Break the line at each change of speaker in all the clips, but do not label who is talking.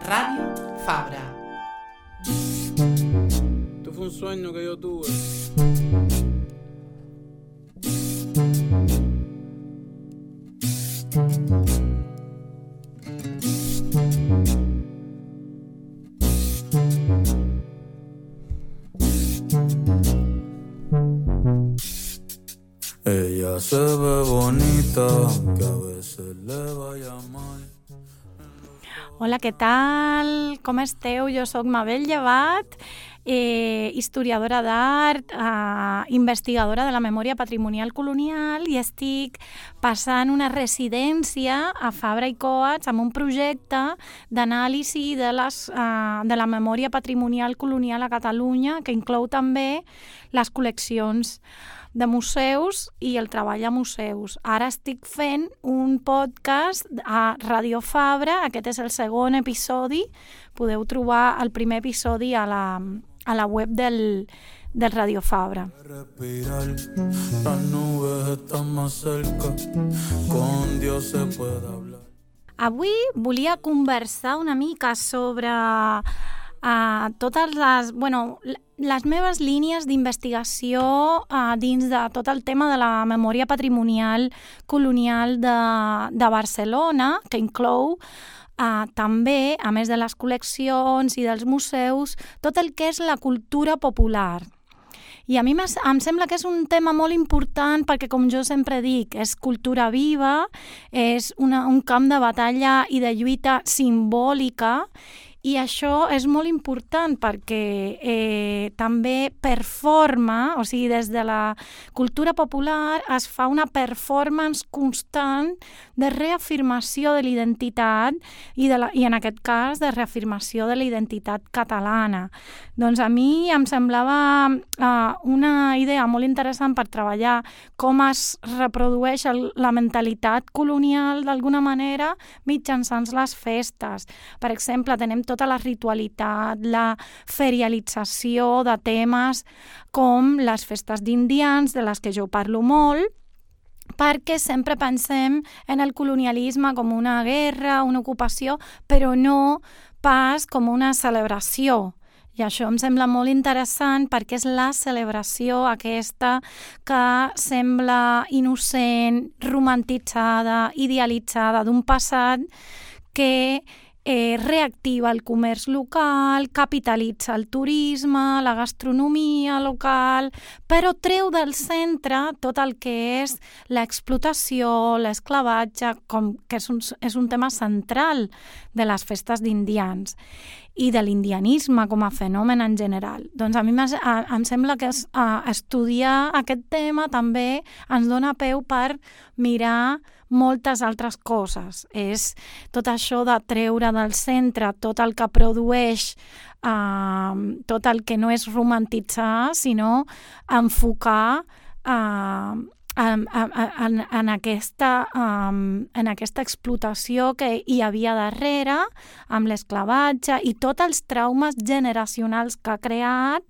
Radio Fabra.
Esto fue un sueño que yo tuve. Ella se ve bonita, que a veces le vaya mal.
Hola, què tal? Com esteu? Jo sóc Mabel Llevat, historiadora d'art, investigadora de la memòria patrimonial colonial i estic passant una residència a Fabra i Coats amb un projecte d'anàlisi de la memòria patrimonial colonial a Catalunya que inclou també les col·leccions de museus i el treball a museus. Ara estic fent un podcast a Radio Fabra, aquest és el segon episodi, podeu trobar el primer episodi a la web del Radio Fabra. Avui volia conversar una mica sobre totes les meves línies d'investigació dins de tot el tema de la memòria patrimonial colonial de Barcelona, que inclou també, a més de les col·leccions i dels museus, tot el que és la cultura popular. I a mi em sembla que és un tema molt important perquè, com jo sempre dic, és cultura viva, és un camp de batalla i de lluita simbòlica, i això és molt important perquè també performa, o sigui, des de la cultura popular es fa una performance constant de reafirmació de l'identitat i en aquest cas de reafirmació de la identitat catalana. Doncs a mi em semblava una idea molt interessant per treballar com es reprodueix la mentalitat colonial d'alguna manera mitjançant les festes. Per exemple, tenem tota la ritualitat, la ferialització de temes com les festes d'indians, de les que jo parlo molt, perquè sempre pensem en el colonialisme com una guerra, una ocupació, però no pas com una celebració. I això em sembla molt interessant perquè és la celebració aquesta que sembla innocent, romantitzada, idealitzada d'un passat que reactiva el comerç local, capitalitza el turisme, la gastronomia local, però treu del centre tot el que és l'explotació, l'esclavatge, que és un tema central de les festes d'indians i de l'indianisme com a fenomen en general. Doncs a mi em sembla que estudiar aquest tema també ens dona peu per mirar moltes altres coses. És tot això de treure del centre tot el que produeix, tot el que no és romantitzar, sinó enfocar en aquesta explotació que hi havia darrere, amb l'esclavatge i tots els traumes generacionals que ha creat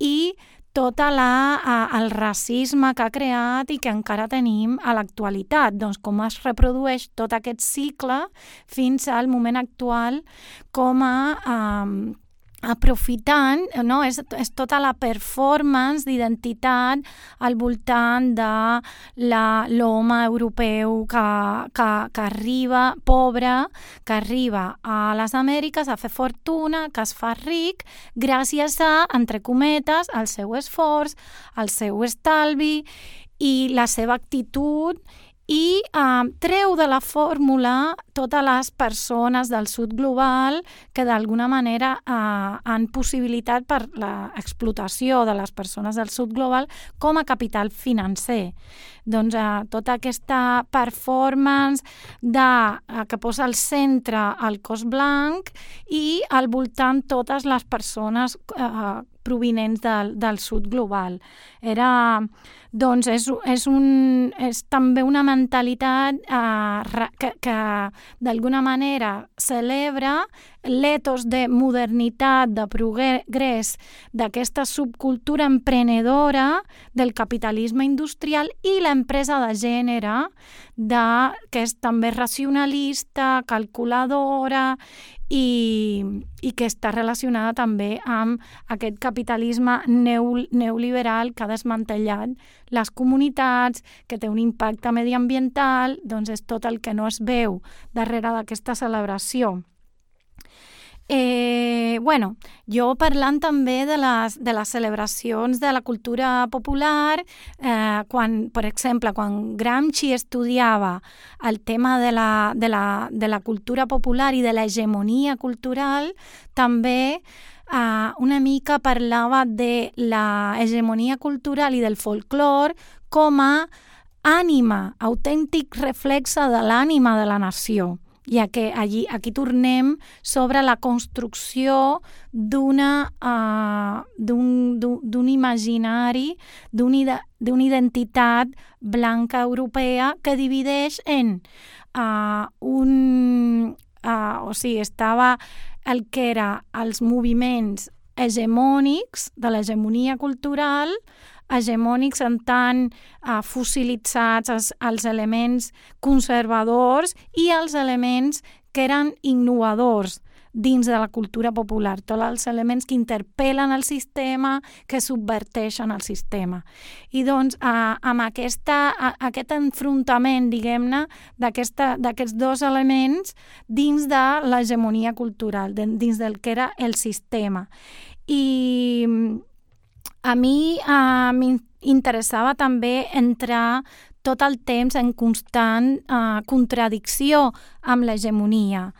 i tot el racisme que ha creat i que encara tenim a l'actualitat. Doncs com es reprodueix tot aquest cicle fins al moment actual com aprofitant, no? És tota la performance d'identitat al voltant de l'home europeu que arriba, pobre, que arriba a les Amèriques a fer fortuna, que es fa ric gràcies a, entre cometes, el seu esforç, el seu estalvi i la seva actitud i treu de la fórmula totes les persones del sud global que d'alguna manera han possibilitat per l'explotació de les persones del sud global com a capital financer. Doncs tota aquesta performance que posa al centre el cos blanc i al voltant totes les persones provinents del sud global. Doncs és també una mentalitat que d'alguna manera celebra l'etos de modernitat, de progrés, d'aquesta subcultura emprenedora del capitalisme industrial i l'empresa de gènere, que és també racionalista, calculadora i que està relacionada també amb aquest capitalisme neoliberal que ha desmantellat les comunitats, que té un impacte mediambiental, doncs és tot el que no es veu darrere d'aquesta celebració. Jo parlant també de les celebracions de la cultura popular, per exemple, quan Gramsci estudiava el tema de la cultura popular i de l'hegemonia cultural, també una mica parlava de l'hegemonia cultural i del folklore com a ànima, autèntic reflexe de l'ànima de la nació. I aquí tornem sobre la construcció d'un imaginari, d'una identitat blanca europea que divideix en estava el que era els moviments hegemònics de l'hegemonia cultural, hegemònics en tant fossilitzats els elements conservadors i els elements que eren innovadors dins de la cultura popular, tots els elements que interpel·len el sistema, que subverteixen el sistema. I doncs amb aquest enfrontament, diguem-ne, d'aquests dos elements dins de l'hegemonia cultural, dins del que era el sistema. I a mi m'interessava també entrar tot el temps en constant contradicció amb l'hegemonia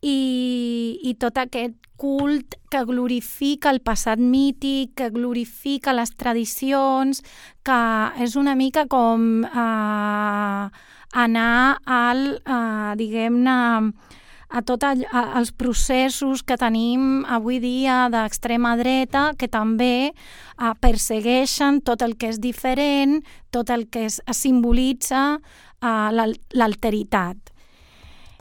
i tot aquest cult que glorifica el passat mític, que glorifica les tradicions, que és una mica com anar diguem-ne, a tots els processos que tenim avui dia d'extrema dreta, que també persegueixen tot el que és diferent, tot el que es simbolitza l'alteritat.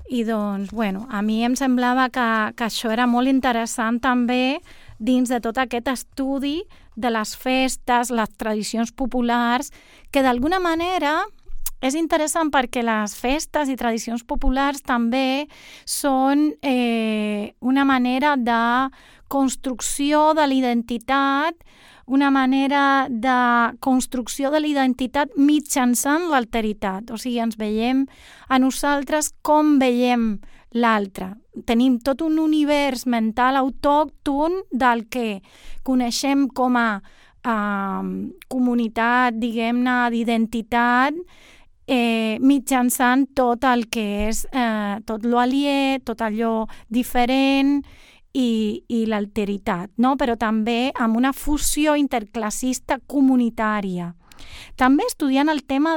I doncs, a mi em semblava que això era molt interessant també dins de tot aquest estudi de les festes, les tradicions populars, que d'alguna manera és interessant perquè les festes i tradicions populars també són una manera de construcció de l'identitat, una manera de construcció de l'identitat mitjançant l'alteritat. O sigui, ens veiem a nosaltres com veiem l'altre. Tenim tot un univers mental autòcton del que coneixem com a comunitat, diguem-ne, d'identitat, mitjançant tot el que és tot l'aliè, tot allò diferent i l'alteritat, no? Però també amb una fusió interclassista comunitària. També estudiant el tema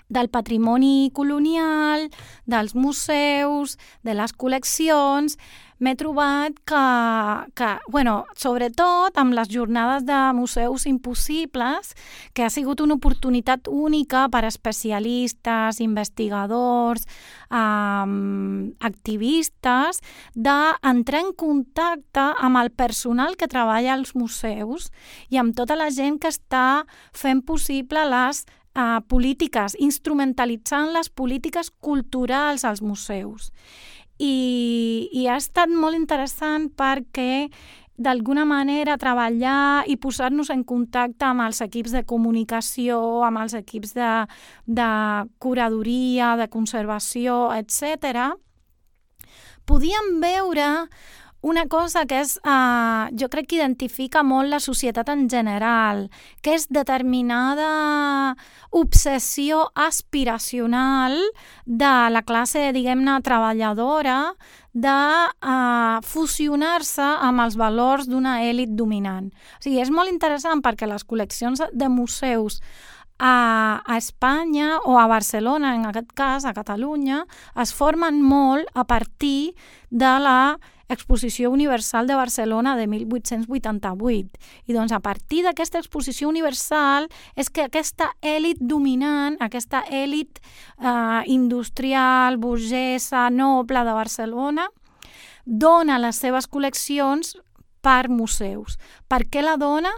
del patrimoni colonial, dels museus, de les col·leccions, m'he trobat que sobretot amb les jornades de museus impossibles, que ha sigut una oportunitat única per a especialistes, investigadors, activistes, d'entrar en contacte amb el personal que treballa als museus i amb tota la gent que està fent possible les polítiques, instrumentalitzant les polítiques culturals als museus. I ha estat molt interessant perquè d'alguna manera treballar i posar-nos en contacte amb els equips de comunicació, amb els equips de curadoria, de conservació, etc., podíem veure una cosa que és, jo crec que identifica molt la societat en general, que és determinada obsessió aspiracional de la classe, diguem-ne, treballadora, de fusionar-se amb els valors d'una èlit dominant. O sigui, és molt interessant perquè les col·leccions de museus a Espanya o a Barcelona, en aquest cas, a Catalunya, es formen molt a partir de la Exposició Universal de Barcelona de 1888. I doncs a partir d'aquesta exposició universal és que aquesta èlit dominant, aquesta èlit industrial, burgesa, noble de Barcelona, dona les seves col·leccions per museus. Per què la dona?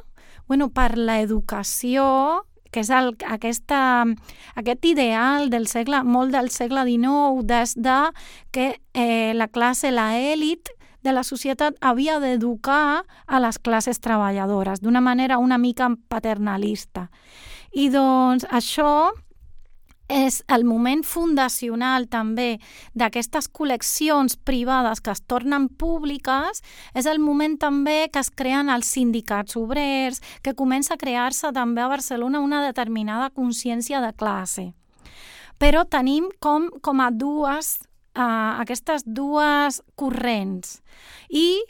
Per l'educació, que és aquest ideal molt del segle XIX, des de que la classe, l'elit de la societat havia d'educar a les classes treballadores d'una manera una mica paternalista. I doncs això és el moment fundacional també d'aquestes col·leccions privades que es tornen públiques, és el moment també que es creen els sindicats obrers, que comença a crear-se també a Barcelona una determinada consciència de classe. Però tenim com a aquestes dues corrents i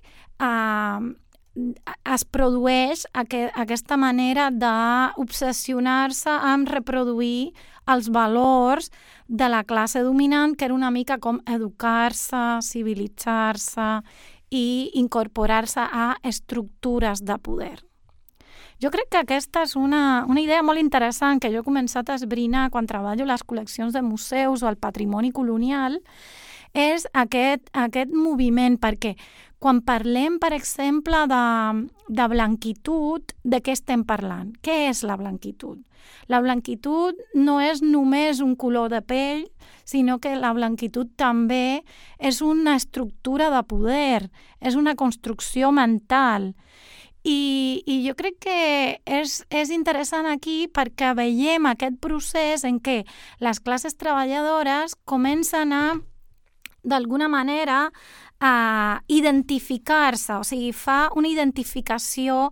es produeix aquesta manera d'obsessionar-se amb reproduir els valors de la classe dominant, que era una mica com educar-se, civilitzar-se i incorporar-se a estructures de poder. Jo crec que aquesta és una idea molt interessant que jo he començat a esbrinar quan treballo les col·leccions de museus o el patrimoni colonial, és aquest moviment, perquè quan parlem, per exemple, de blanquitud, de què estem parlant? Què és la blanquitud? La blanquitud no és només un color de pell, sinó que la blanquitud també és una estructura de poder, és una construcció mental. I jo crec que és interessant aquí perquè veiem aquest procés en què les classes treballadores comencen a, d'alguna manera, a identificar-se, o sigui, fa una identificació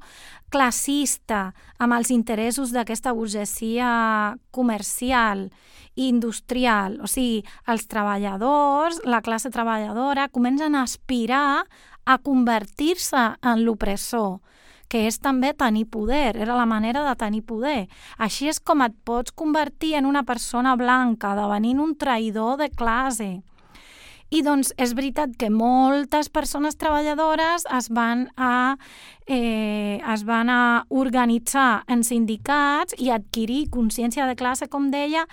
classista amb els interessos d'aquesta burgesia comercial i industrial. O sigui, els treballadors, la classe treballadora, comencen a aspirar a convertir-se en l'opressor, que és també tenir poder, era la manera de tenir poder. Així és com et pots convertir en una persona blanca, devenint un traïdor de classe. I doncs és veritat que moltes persones treballadores es van a organitzar en sindicats i adquirir consciència de classe, com deia,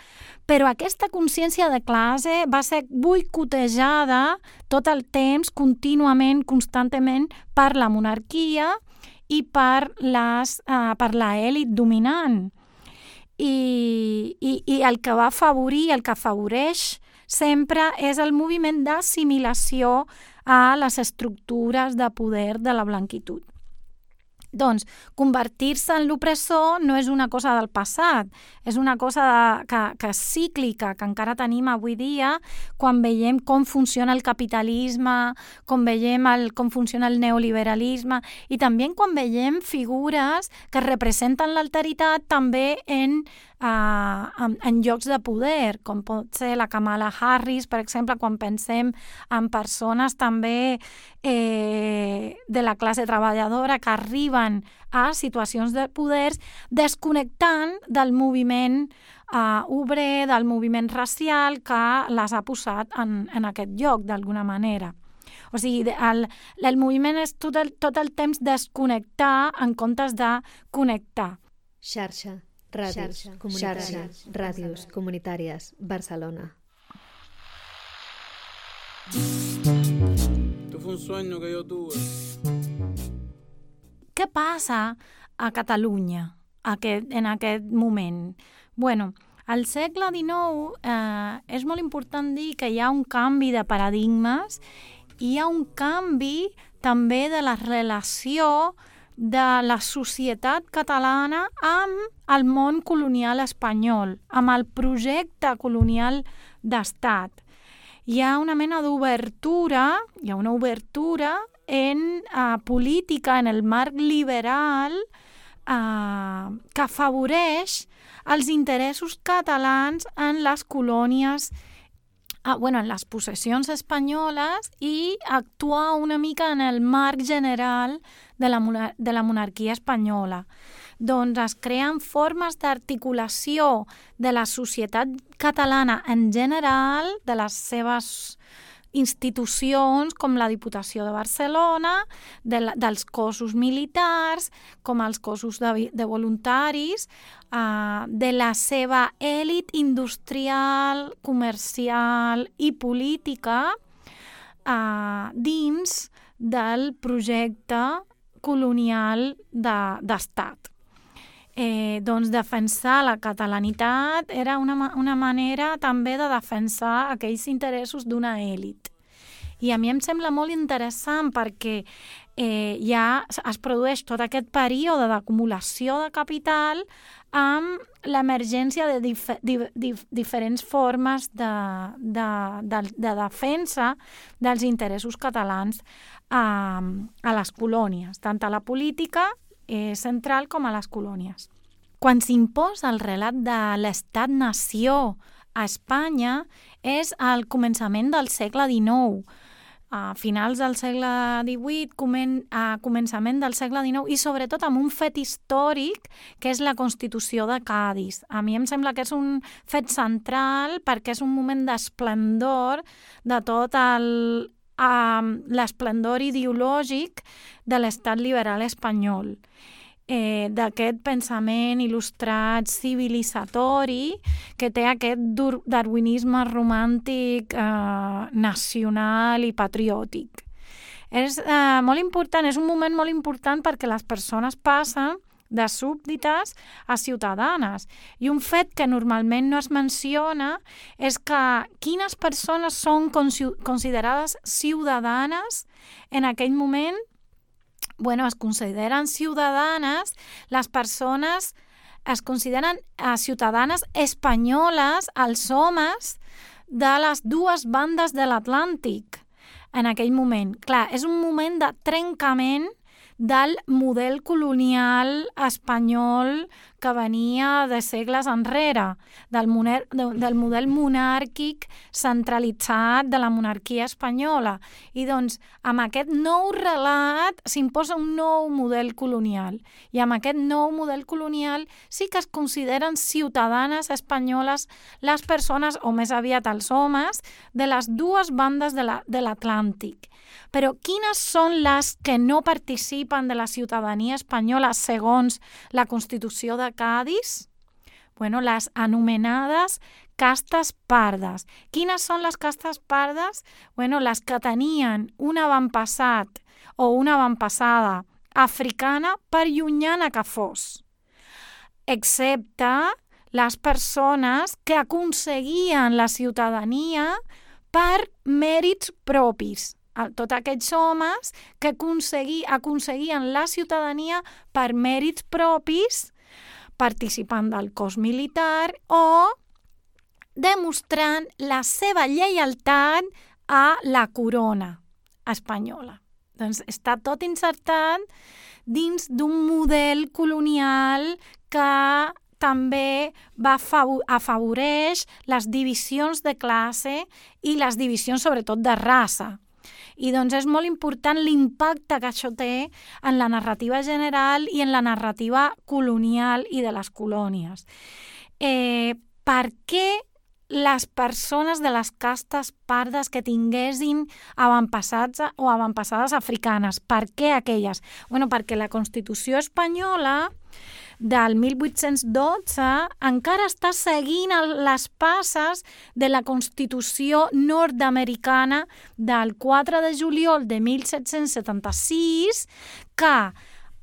però aquesta consciència de classe va ser boicotejada tot el temps, contínuament, constantment, per la monarquia i per l'elit dominant. I el que va afavorir, el que afavoreix sempre és el moviment d'assimilació a les estructures de poder de la blanquitud. Doncs convertir-se en l'opressor no és una cosa del passat, és una cosa que és cíclica, que encara tenim avui dia quan veiem com funciona el capitalisme, com veiem com funciona el neoliberalisme i també quan veiem figures que representen l'alteritat també en llocs de poder, com pot ser la Kamala Harris, per exemple, quan pensem en persones també de la classe treballadora que arriben a situacions de poders desconnectant del moviment obrer, del moviment racial que les ha posat en aquest lloc, d'alguna manera. O sigui, el moviment és tot el temps desconnectar en comptes de connectar.
Xarxa. Ràdios comunitàries, Barcelona.
Què passa a Catalunya en aquest moment? Al segle XIX és molt important dir que hi ha un canvi de paradigmes i hi ha un canvi també de la relació de la societat catalana amb el món colonial espanyol, amb el projecte colonial d'estat. Hi ha una mena d'obertura, hi ha una obertura en política, en el marc liberal, que afavoreix els interessos catalans en les colònies, en les possessions espanyoles i actuar una mica en el marc general de la monarquia espanyola. Doncs es creen formes d'articulació de la societat catalana en general, de les seves institucions com la Diputació de Barcelona, dels cossos militars, com els cossos de voluntaris, de la seva èlit industrial, comercial i política, dins del projecte colonial d'estat. Doncs defensar la catalanitat era una manera també de defensar aquells interessos d'una èlit. I a mi em sembla molt interessant perquè ja es produeix tot aquest període d'acumulació de capital amb l'emergència de diferents formes de defensa dels interessos catalans a les colònies, tant a la política central com a les colònies. Quan s'imposa el relat de l'estat-nació a Espanya és al començament del segle XIX, a finals del segle XVIII, a començament del segle XIX, i sobretot amb un fet històric que és la Constitució de Cadis. A mi em sembla que és un fet central perquè és un moment d'esplendor de tot l'esplendor ideològic de l'estat liberal espanyol. D'aquest pensament il·lustrat civilitzatori que té aquest darwinisme romàntic nacional i patriòtic. És molt important, és un moment molt important perquè les persones passen de súbdites a ciutadanes. I un fet que normalment no es menciona és que quines persones són considerades ciutadanes en aquell moment. Es consideren ciutadanes, les persones es consideren ciutadanes espanyoles, els homes de les dues bandes de l'Atlàntic en aquell moment. Clar, és un moment de trencament del model colonial espanyol que venia de segles enrere, del model monàrquic centralitzat de la monarquia espanyola. I doncs, amb aquest nou relat s'imposa un nou model colonial. I amb aquest nou model colonial sí que es consideren ciutadanes espanyoles les persones, o més aviat els homes, de les dues bandes de l'Atlàntic. Però quines són les que no participen de la ciutadania espanyola segons la Constitució de Cadis? Les anomenades castes pardes. Quines són les castes pardes? Les que tenien un avantpassat o una avantpassada africana, per llunyana que fos, excepte les persones que aconseguien la ciutadania per mèrits propis. Tots aquells homes que aconseguien la ciutadania per mèrits propis, participant del cos militar o demostrant la seva lleialtat a la corona espanyola. Doncs està tot insertat dins d'un model colonial que també afavoreix les divisions de classe i les divisions sobretot de raça. I doncs és molt important l'impacte que això té en la narrativa general i en la narrativa colonial i de les colònies. Per què les persones de les castes pardes que tinguessin avantpassats o avantpassades africanes, per què aquelles? Perquè la Constitució espanyola del 1812 encara està seguint les passes de la Constitució nord-americana del 4 de juliol de 1776, que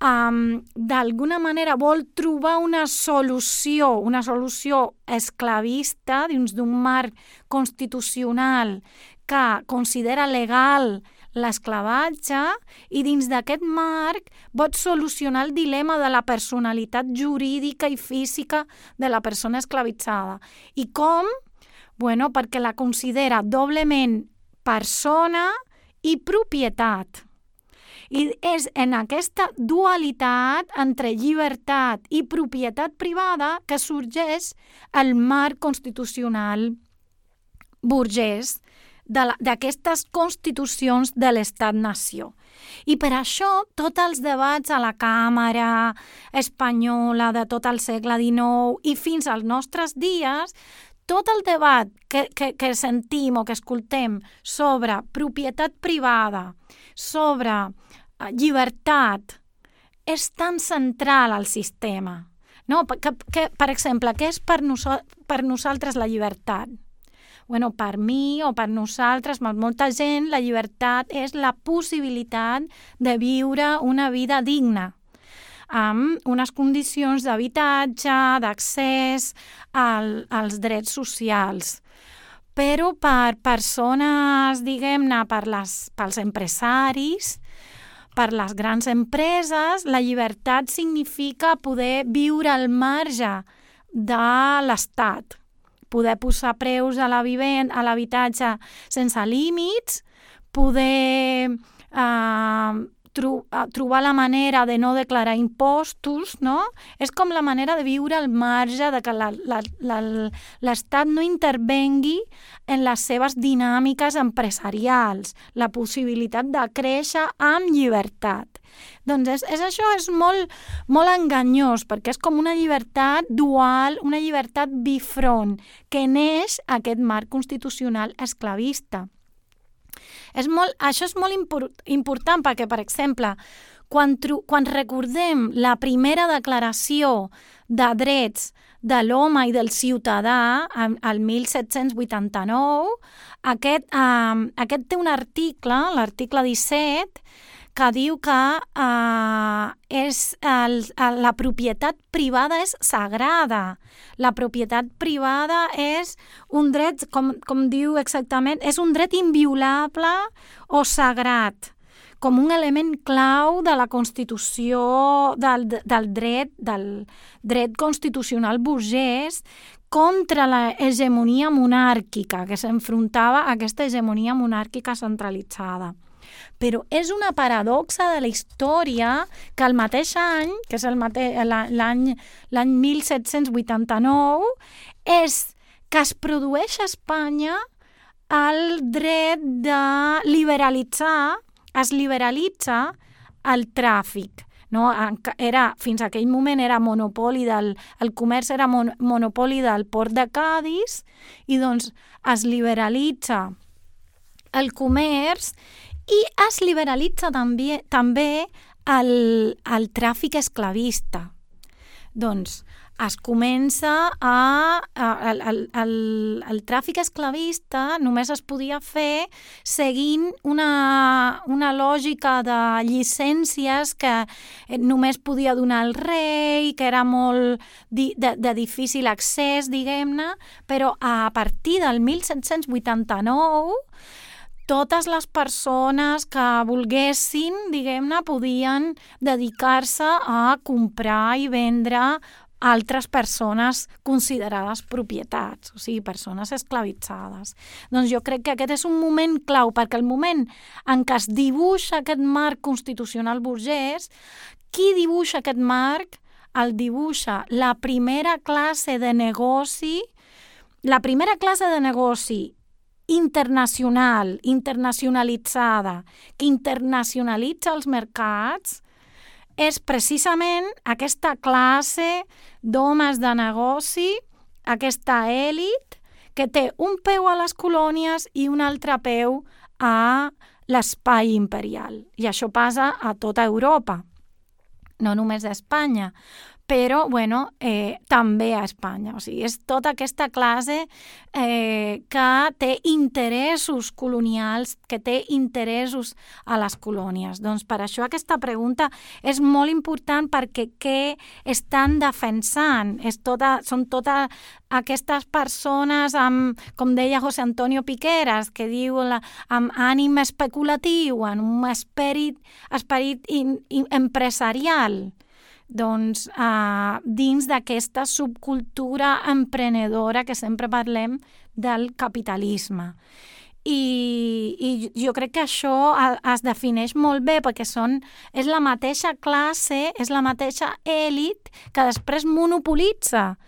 d'alguna manera vol trobar una solució esclavista dins d'un marc constitucional que considera legal l'esclavatge, i dins d'aquest marc pot solucionar el dilema de la personalitat jurídica i física de la persona esclavitzada. I com? Perquè la considera doblement persona i propietat. I és en aquesta dualitat entre llibertat i propietat privada que sorgeix el marc constitucional burgès d'aquestes constitucions de l'estat-nació. I per això tots els debats a la Càmera espanyola de tot el segle XIX i fins als nostres dies, tot el debat que sentim o que escoltem sobre propietat privada, sobre llibertat, és tan central al sistema. No? Per exemple, què és per nosaltres la llibertat? per mi o per nosaltres, per molta gent, la llibertat és la possibilitat de viure una vida digna, amb unes condicions d'habitatge, d'accés als drets socials. Però per persones, diguem-ne, pels empresaris, per les grans empreses, la llibertat significa poder viure al marge de l'Estat, poder posar preus a l'habitatge sense límits, poder trobar la manera de no declarar impostos, no? És com la manera de viure al marge, de que l'Estat no intervengui en les seves dinàmiques empresarials, la possibilitat de créixer amb llibertat. Doncs això és molt, molt enganyós, perquè és com una llibertat dual, una llibertat bifront, que neix aquest marc constitucional esclavista. Això és molt important perquè, per exemple, quan recordem la primera declaració de drets de l'home i del ciutadà, el 1789, aquest té un article, l'article 17, que diu que la propietat privada és sagrada. La propietat privada és un dret, com diu exactament, és un dret inviolable o sagrat, com un element clau de la Constitució, del dret constitucional burgès contra l'hegemonia monàrquica, que s'enfrontava a aquesta hegemonia monàrquica centralitzada. Però és una paradoxa de la història que el mateix any, que és l'any 1789, és que es produeix a Espanya el dret de es liberalitza el tràfic. No? Fins a aquell moment era monopoli el comerç era monopoli del port de Cadis i doncs es liberalitza el comerç i es liberalitza també el tràfic esclavista. Doncs es comença el tràfic esclavista només es podia fer seguint una lògica de llicències que només podia donar el rei, que era molt de difícil accés, diguem-ne, però a partir del 1789 totes les persones que volguessin, diguem-ne, podien dedicar-se a comprar i vendre altres persones considerades propietats, o sigui, persones esclavitzades. Doncs jo crec que aquest és un moment clau, perquè el moment en què es dibuixa aquest marc constitucional burgès, qui dibuixa aquest marc? El dibuixa la primera classe de negoci internacionalitzada, que internacionalitza els mercats, és precisament aquesta classe d'homes de negoci, aquesta èlit, que té un peu a les colònies i un altre peu a l'espai imperial. I això passa a tota Europa, no només a Espanya, però també a Espanya. O sigui, és tota aquesta classe que té interessos colonials, que té interessos a les colònies. Doncs per això aquesta pregunta és molt important, perquè què estan defensant? Són totes aquestes persones com deia José Antonio Piqueras, que diu amb ànim especulatiu, amb un esperit empresarial. Doncs dins d'aquesta subcultura emprenedora que sempre parlem del capitalisme. I jo crec que això es defineix molt bé, perquè és la mateixa classe, és la mateixa èlit que després monopolitza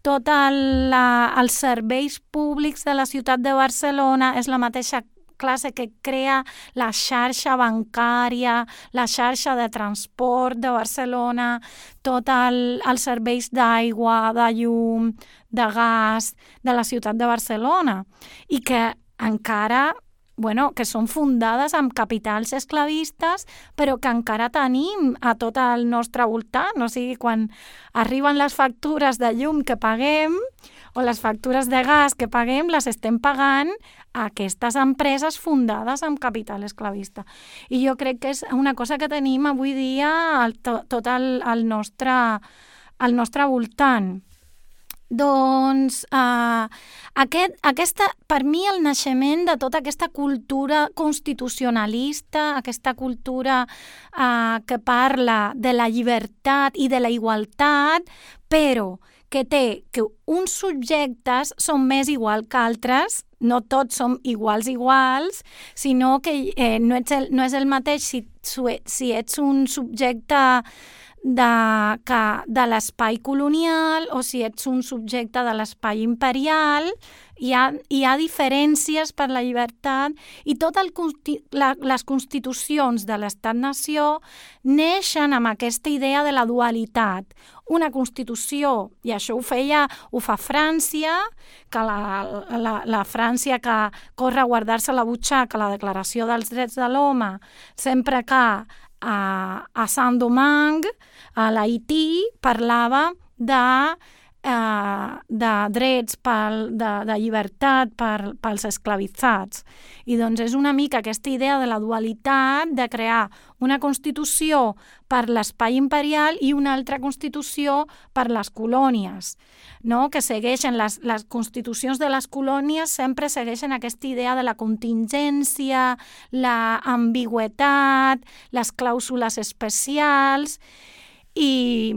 tots els serveis públics de la ciutat de Barcelona, és la mateixa classe que crea la xarxa bancària, la xarxa de transport de Barcelona, tots els serveis d'aigua, de llum, de gas de la ciutat de Barcelona, i que encara, que són fundades amb capitals esclavistes, però que encara tenim a tot el nostre voltant. O sigui, quan arriben les factures de llum que paguem, o les factures de gas que paguem les estem pagant a aquestes empreses fundades amb capital esclavista. I jo crec que és una cosa que tenim avui dia tot al nostre voltant. Doncs per mi el naixement de tota aquesta cultura constitucionalista, aquesta cultura que parla de la llibertat i de la igualtat, però que té que uns subjectes són més iguals que altres, no tots som iguals, sinó que no és el mateix si ets un subjecte de l'espai colonial o si ets un subjecte de l'espai imperial. Hi ha diferències per la llibertat i totes les constitucions de l'Estat-nació neixen amb aquesta idea de la dualitat. Una constitució, i això ho fa França, que la França que corre a guardar-se la butxaca, la Declaració dels Drets de l'Home, sempre que a Saint-Domingue, a l'Haití, parlava de drets, de llibertat pels esclavitzats. I doncs és una mica aquesta idea de la dualitat, de crear una constitució per l'espai imperial i una altra constitució per les colònies, no? Que segueixen les constitucions de les colònies sempre segueixen aquesta idea de la contingència, la ambigüitat, les clàusules especials i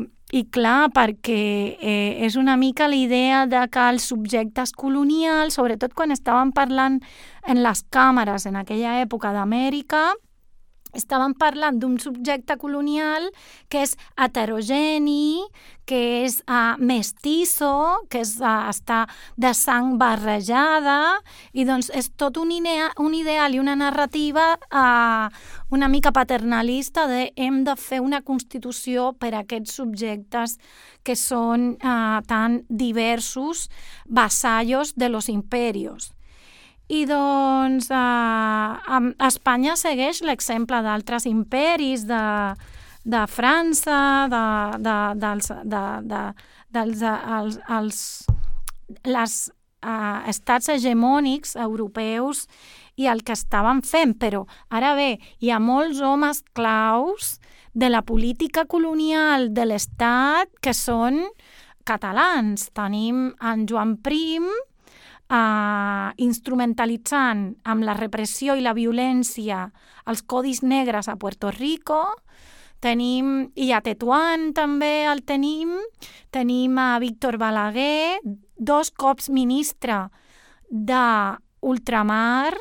clar, perquè és una mica la idea de que els subjectes colonials, sobretot quan estaven parlant en les càmeres en aquella època d'Amèrica, estaven parlant d'un subjecte colonial que és heterogeni, que és mestizo, que està de sang barrejada, i doncs és tot un ideal i una narrativa una mica paternalista de hem de fer una constitució per a aquests subjectes que són tan diversos, vassallos de los imperios. I doncs Espanya segueix l'exemple d'altres imperis, de França, dels estats hegemònics europeus i el que estaven fent. Però ara bé, hi ha molts homes claus de la política colonial de l'Estat que són catalans. Tenim en Joan Prim, instrumentalitzant amb la repressió i la violència els codis negres a Puerto Rico. I a Tetuán també el tenim a Víctor Balaguer, 2 cops ministre d'ultramar,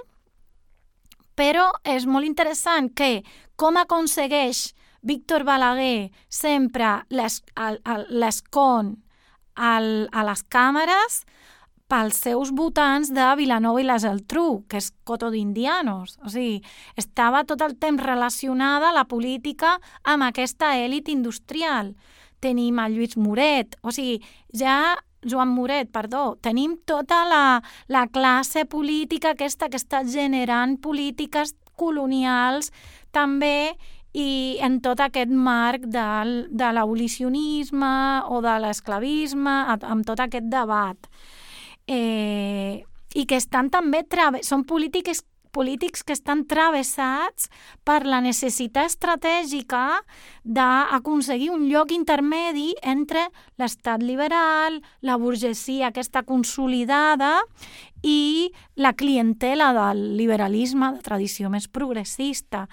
però és molt interessant que com aconsegueix Víctor Balaguer sempre l'escon a les càmeres pels seus votants de Vilanova i la Geltrú, que és Coto d'Indianos. O sigui, estava tot el temps relacionada la política amb aquesta èlit industrial. Tenim a Lluís Moret, o sigui, Joan Moret, perdó, tenim tota la classe política aquesta que està generant polítiques colonials també i en tot aquest marc de l'abolicionisme o de l'esclavisme, amb tot aquest debat. I que estan també són polítics que estan travessats per la necessitat estratègica d'aconseguir un lloc intermedi entre l'estat liberal, la burgesia aquesta consolidada i la clientela del liberalisme de tradició més progressista.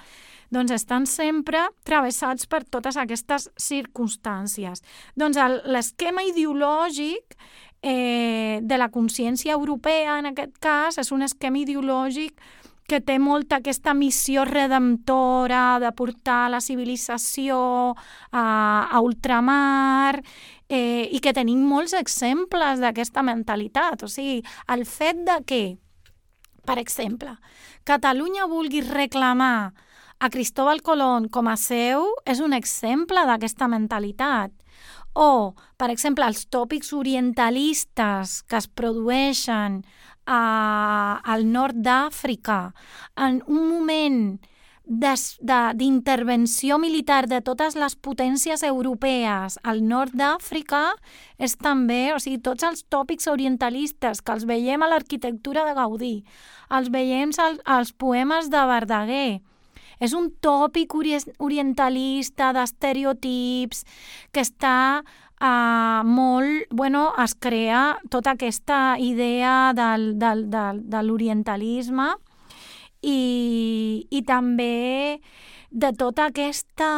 Doncs estan sempre travessats per totes aquestes circumstàncies. Doncs l'esquema ideològic de la consciència europea, en aquest cas, és un esquema ideològic que té molta aquesta missió redemptora de portar la civilització a ultramar i que tenim molts exemples d'aquesta mentalitat. O sigui, el fet de que, per exemple, Catalunya vulgui reclamar a Cristóbal Colón com a seu és un exemple d'aquesta mentalitat. O, per exemple, els tòpics orientalistes que es produeixen al nord d'Àfrica en un moment d'intervenció militar de totes les potències europees al nord d'Àfrica és també, o sigui, tots els tòpics orientalistes que els veiem a l'arquitectura de Gaudí, els veiem als poemes de Verdaguer. És un tòpic orientalista d'estereotips que està molt... Bueno, es crea tota aquesta idea de l'orientalisme i també de tota aquesta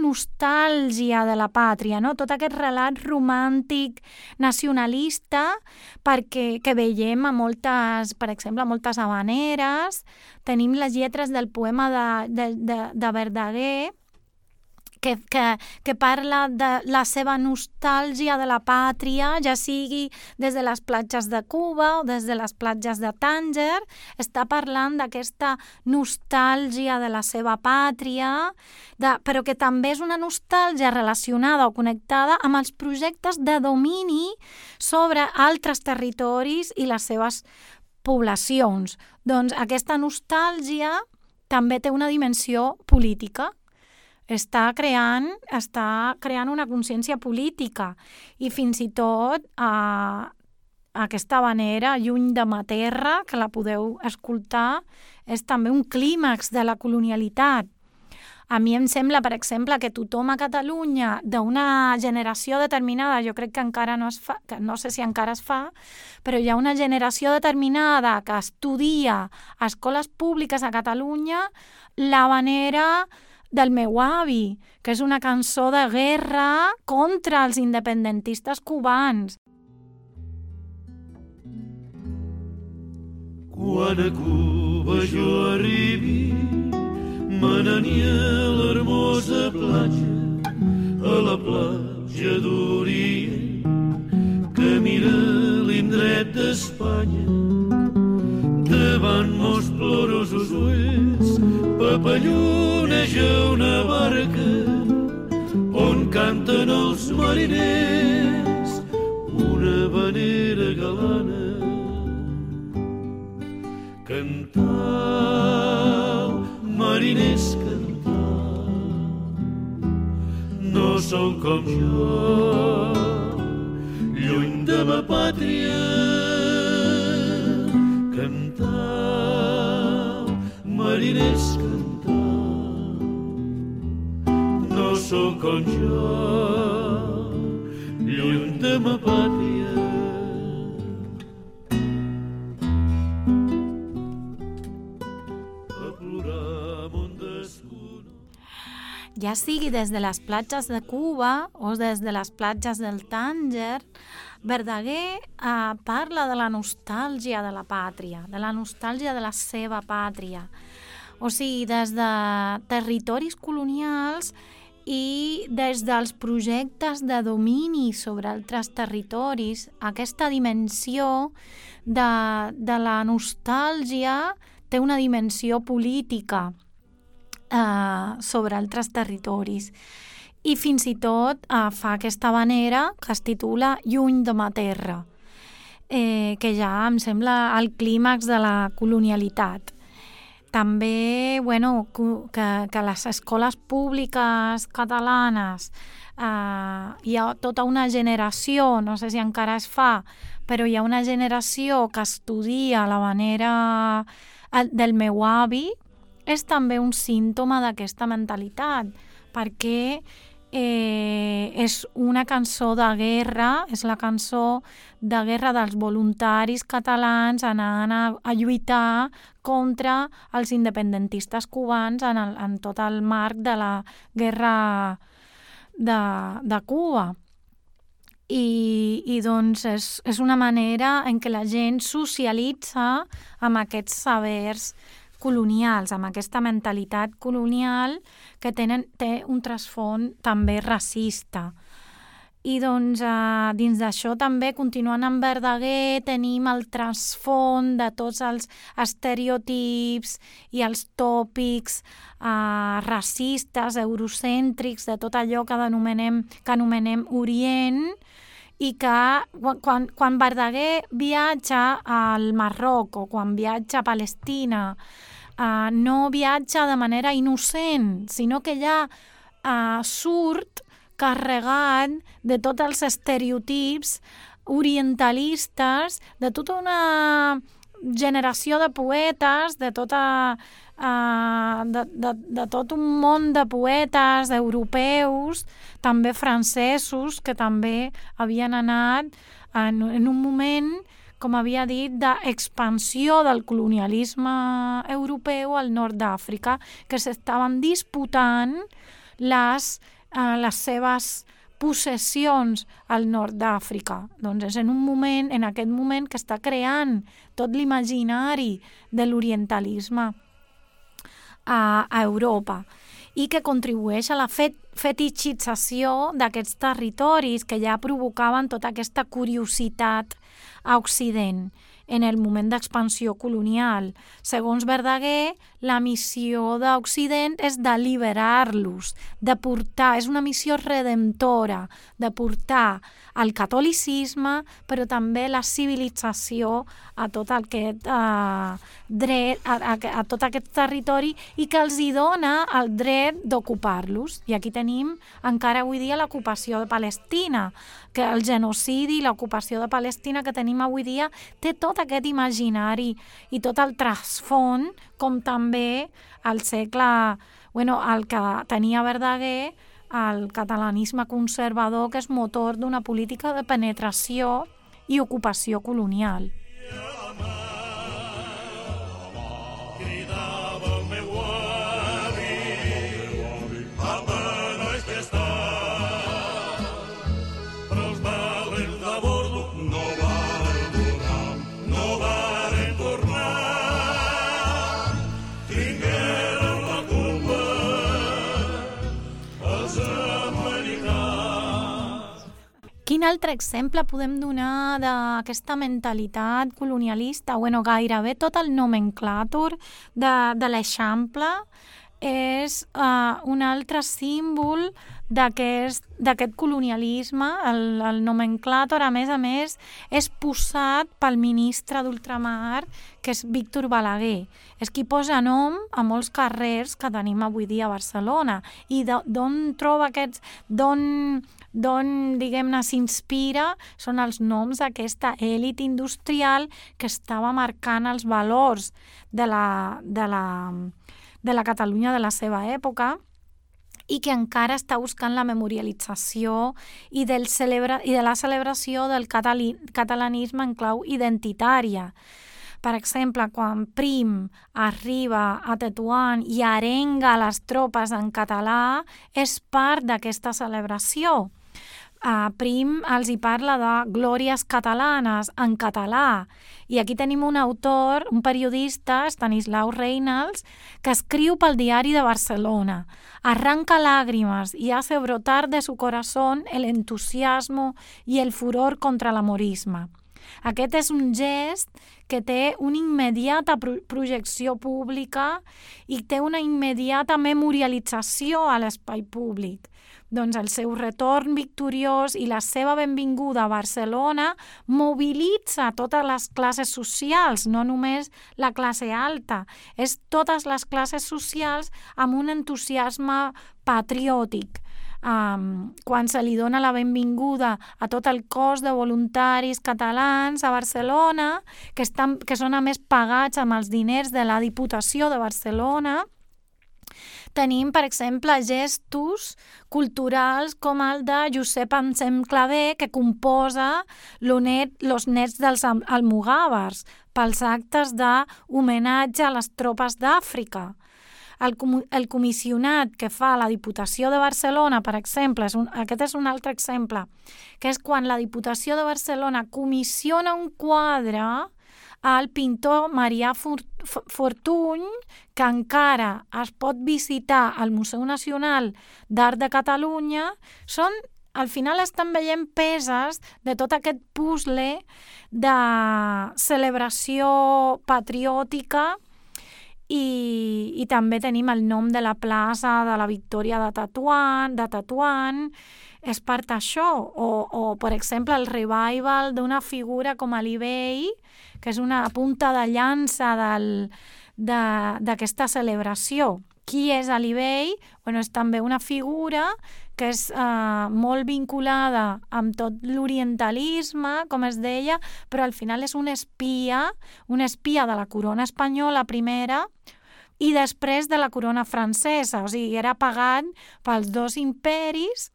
nostàlgia de la pàtria, no? Tot aquest relat romàntic nacionalista que veiem a moltes, per exemple, a moltes havaneres. Tenim les lletres del poema de Verdaguer que parla de la seva nostàlgia de la pàtria, ja sigui des de les platges de Cuba o des de les platges de Tànger, està parlant d'aquesta nostàlgia de la seva pàtria, però que també és una nostàlgia relacionada o connectada amb els projectes de domini sobre altres territoris i les seves poblacions. Doncs aquesta nostàlgia també té una dimensió política. Està creant una consciència política i fins i tot aquesta havanera, Lluny de ma terra, que la podeu escoltar, és també un clímax de la colonialitat. A mi em sembla, per exemple, que tothom a Catalunya d'una generació determinada, jo crec que encara no es fa, que no sé si encara es fa, però hi ha una generació determinada que estudia a escoles públiques a Catalunya l'havanera del meu avi, que és una cançó de guerra contra els independentistes cubans.
Quan a Cuba jo arribi, me n'aniré a l'hermosa platja, a la platja d'Orient, que mira l'indret d'Espanya. Davant mos plorosos ulls papalloneja una barca on canten els mariners una havanera galana. Cantau, mariners, cantau, no sou com jo, lluny de ma pàtria. Cantau, mariners, cantau, no sou com jo, lluny de ma pàtria. A plorar mon desconegut.
Ja sigui des de les platges de Cuba o des de les platges del Tànger, Verdaguer parla de la nostàlgia de la pàtria, de la nostàlgia de la seva pàtria. O sigui, des de territoris colonials i des dels projectes de domini sobre altres territoris, aquesta dimensió de la nostàlgia té una dimensió política sobre altres territoris. I fins i tot fa aquesta havanera que es titula Lluny de ma terra, que ja em sembla el clímax de la colonialitat. També, bueno, que les escoles públiques catalanes hi ha tota una generació, no sé si encara es fa, però hi ha una generació que estudia l'havanera del meu avi, és també un símptoma d'aquesta mentalitat, perquè és una cançó de guerra, és la cançó de guerra dels voluntaris catalans anant a lluitar contra els independentistes cubans en tot el marc de la guerra de Cuba. I doncs és una manera en què la gent socialitza amb aquests sabers colonials, amb aquesta mentalitat colonial que té un trasfons també racista. I doncs dins d'això també, continuant amb Verdaguer, tenim el trasfons de tots els estereotips i els tòpics racistes, eurocèntrics, de tot allò que anomenem Orient, i que quan Verdaguer viatja al Marroc o quan viatja a Palestina no viatja de manera innocent, sinó que ja surt carregat de tots els estereotips orientalistes, de tota una generació de poetes, de tot un món de poetes europeus, també francesos, que també havien anat en un moment, com havia dit, d'expansió del colonialisme europeu al nord d'Àfrica, que s'estaven disputant les seves possessions al nord d'Àfrica. Doncs és en aquest moment que està creant tot l'imaginari de l'orientalisme a Europa i que contribueix a la fetitxització d'aquests territoris que ja provocaven tota aquesta curiositat a Occident en el moment d'expansió colonial. Segons Verdaguer, la missió d'Occident és d'alliberar-los, de portar, és una missió redemptora, de portar el catolicisme, però també la civilització a tot aquest dret, a tot aquest territori, i que els hi dona el dret d'ocupar-los. I aquí tenim encara avui dia l'ocupació de Palestina, que el genocidi i l'ocupació de Palestina que tenim avui dia té tot aquest imaginari i tot el trasfons, com també el que tenia Verdaguer, el catalanisme conservador, que és motor d'una política de penetració i ocupació colonial. Quin altre exemple podem donar d'aquesta mentalitat colonialista? Gairebé tot el nomenclàtor de l'Eixample és un altre símbol d'aquest colonialisme. El nomenclàtor, a més, és posat pel ministre d'Ultramar, que és Víctor Balaguer. És qui posa nom a molts carrers que tenim avui dia a Barcelona. I d'on troba aquests... d'on diguem-ne, s'inspira són els noms d'aquesta èlit industrial que estava marcant els valors de la Catalunya de la seva època i que encara està buscant la memorialització i de la celebració del catalanisme en clau identitària. Per exemple, quan Prim arriba a Tetuan i arenga les tropes en català, és part d'aquesta celebració. Prim els hi parla de glòries catalanes en català. I aquí tenim un autor, un periodista, Stanislau Reynals, que escriu pel Diari de Barcelona. Arranca lágrimas y hace brotar de su corazón el entusiasmo y el furor contra l'amorisme. Aquest és un gest que té una immediata projecció pública i té una immediata memorialització a l'espai públic. Doncs el seu retorn victoriós i la seva benvinguda a Barcelona mobilitza totes les classes socials, no només la classe alta, és totes les classes socials amb un entusiasme patriòtic. Quan se li dona la benvinguda a tot el cos de voluntaris catalans a Barcelona, que són a més pagats amb els diners de la Diputació de Barcelona, tenim, per exemple, gestos culturals com el de Josep Anselm Clavé, que composa Los nets dels almogàvers pels actes d'homenatge a les tropes d'Àfrica. El comissionat que fa la Diputació de Barcelona, per exemple, aquest és un altre exemple, que és quan la Diputació de Barcelona comissiona un quadre al pintor Marià Fortuny, que encara es pot visitar al Museu Nacional d'Art de Catalunya. Al final estan veient peces de tot aquest puzzle de celebració patriòtica. I també tenim el nom de la plaça de la Victòria de Tetuan, és part d'això. O, per exemple, el revival d'una figura com Ali Bey, que és una punta de llança d'aquesta celebració. Qui és Ali Bey? Bueno, és també una figura que és molt vinculada amb tot l'orientalisme, com es deia, però al final és un espia de la corona espanyola primera i després de la corona francesa, o sigui, era pagat pels dos imperis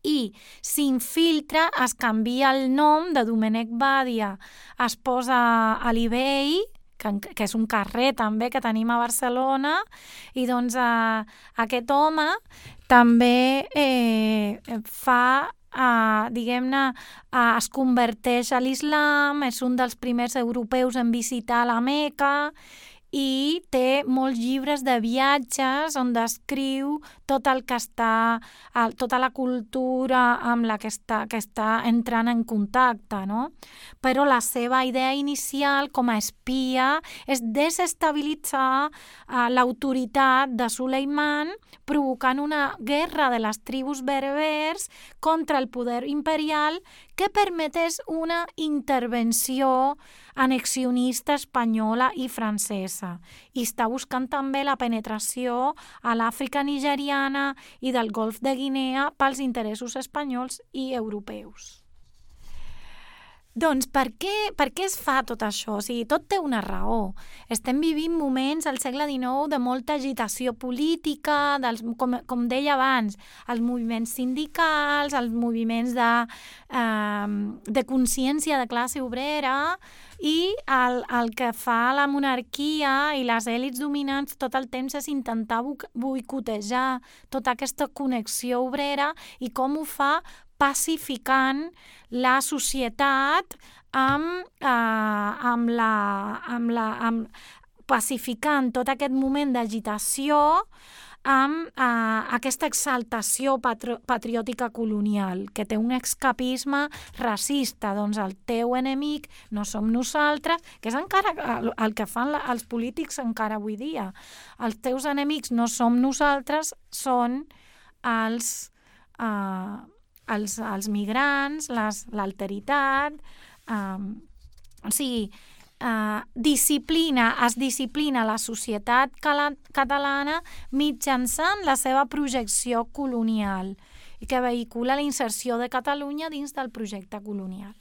i s'infiltra, es canvia el nom de Domènec Badia, es posa Ali Bey, que és un carrer també que tenim a Barcelona, i doncs aquest home també fa, diguem-ne, es converteix a l'islam, és un dels primers europeus en visitar la Meca i té molts llibres de viatges on descriu tot el que està, tota la cultura amb la que està entrant en contacte, no? Però la seva idea inicial com a espia és desestabilitzar l'autoritat de Suleiman, provocant una guerra de les tribus berbers contra el poder imperial que permetés una intervenció annexionista espanyola i francesa. I està buscant també la penetració a l'Àfrica nigeriana i del Golf de Guinea pels interessos espanyols i europeus. Doncs per què es fa tot això? O sigui, tot té una raó. Estem vivint moments al segle XIX de molta agitació política, com deia abans, els moviments sindicals, els moviments de consciència de classe obrera, i el que fa la monarquia i les èlits dominants tot el temps és intentar boicotejar tota aquesta connexió obrera, i com ho fa pacificant la societat pacificant tot aquest moment d'agitació amb aquesta exaltació patriòtica colonial, que té un escapisme racista. Doncs el teu enemic no som nosaltres, que és encara el que fan els polítics encara avui dia. Els teus enemics no som nosaltres, són els migrants, l'alteritat, o sigui, es disciplina la societat catalana mitjançant la seva projecció colonial i que vehicula la inserció de Catalunya dins del projecte colonial.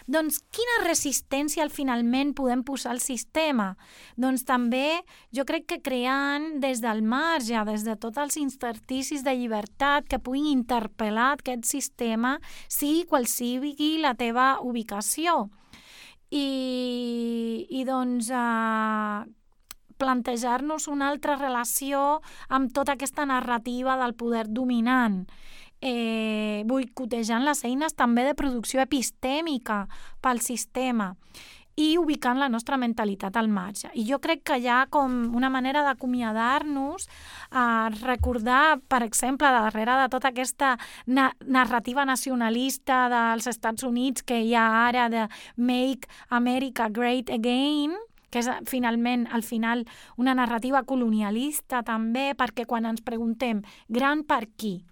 Doncs quina resistència finalment podem posar al sistema? Doncs també jo crec que creant des del marge, des de tots els intersticis de llibertat que puguin interpel·lar aquest sistema, sigui qual sigui la teva ubicació. I doncs plantejar-nos una altra relació amb tota aquesta narrativa del poder dominant, boicotejant les eines també de producció epistèmica pel sistema i ubicant la nostra mentalitat al marge. I jo crec que hi ha com una manera d'acomiadar-nos, recordar, per exemple, darrere de tota aquesta narrativa nacionalista dels Estats Units que hi ha ara de Make America Great Again, que és finalment, al final, una narrativa colonialista també, perquè quan ens preguntem gran per qui?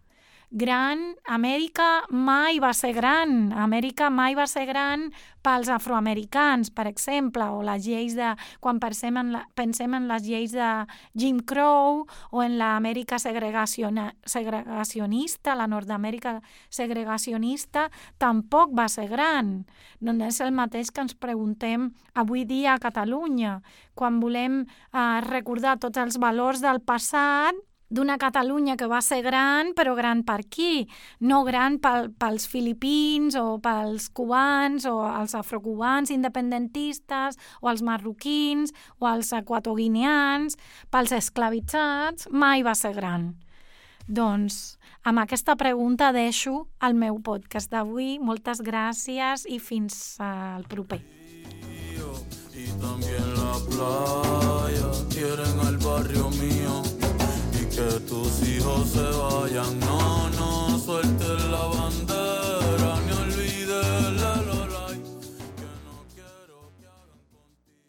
Gran, Amèrica mai va ser gran. Amèrica mai va ser gran pels afroamericans, per exemple, o les lleis quan pensem en les lleis de Jim Crow o en l'Amèrica segregacionista, la Nord-Amèrica segregacionista, tampoc va ser gran. No és el mateix que ens preguntem avui dia a Catalunya, quan volem recordar tots els valors del passat d'una Catalunya que va ser gran, però gran per qui? No gran pels filipins o pels cubans o els afrocubans independentistes o els marroquins o els equatoguineans, pels esclavitzats, mai va ser gran. Doncs amb aquesta pregunta deixo el meu podcast d'avui. Moltes gràcies i fins al proper.
Y también la playa, quieren al barrio mío. Que tus hijos se vayan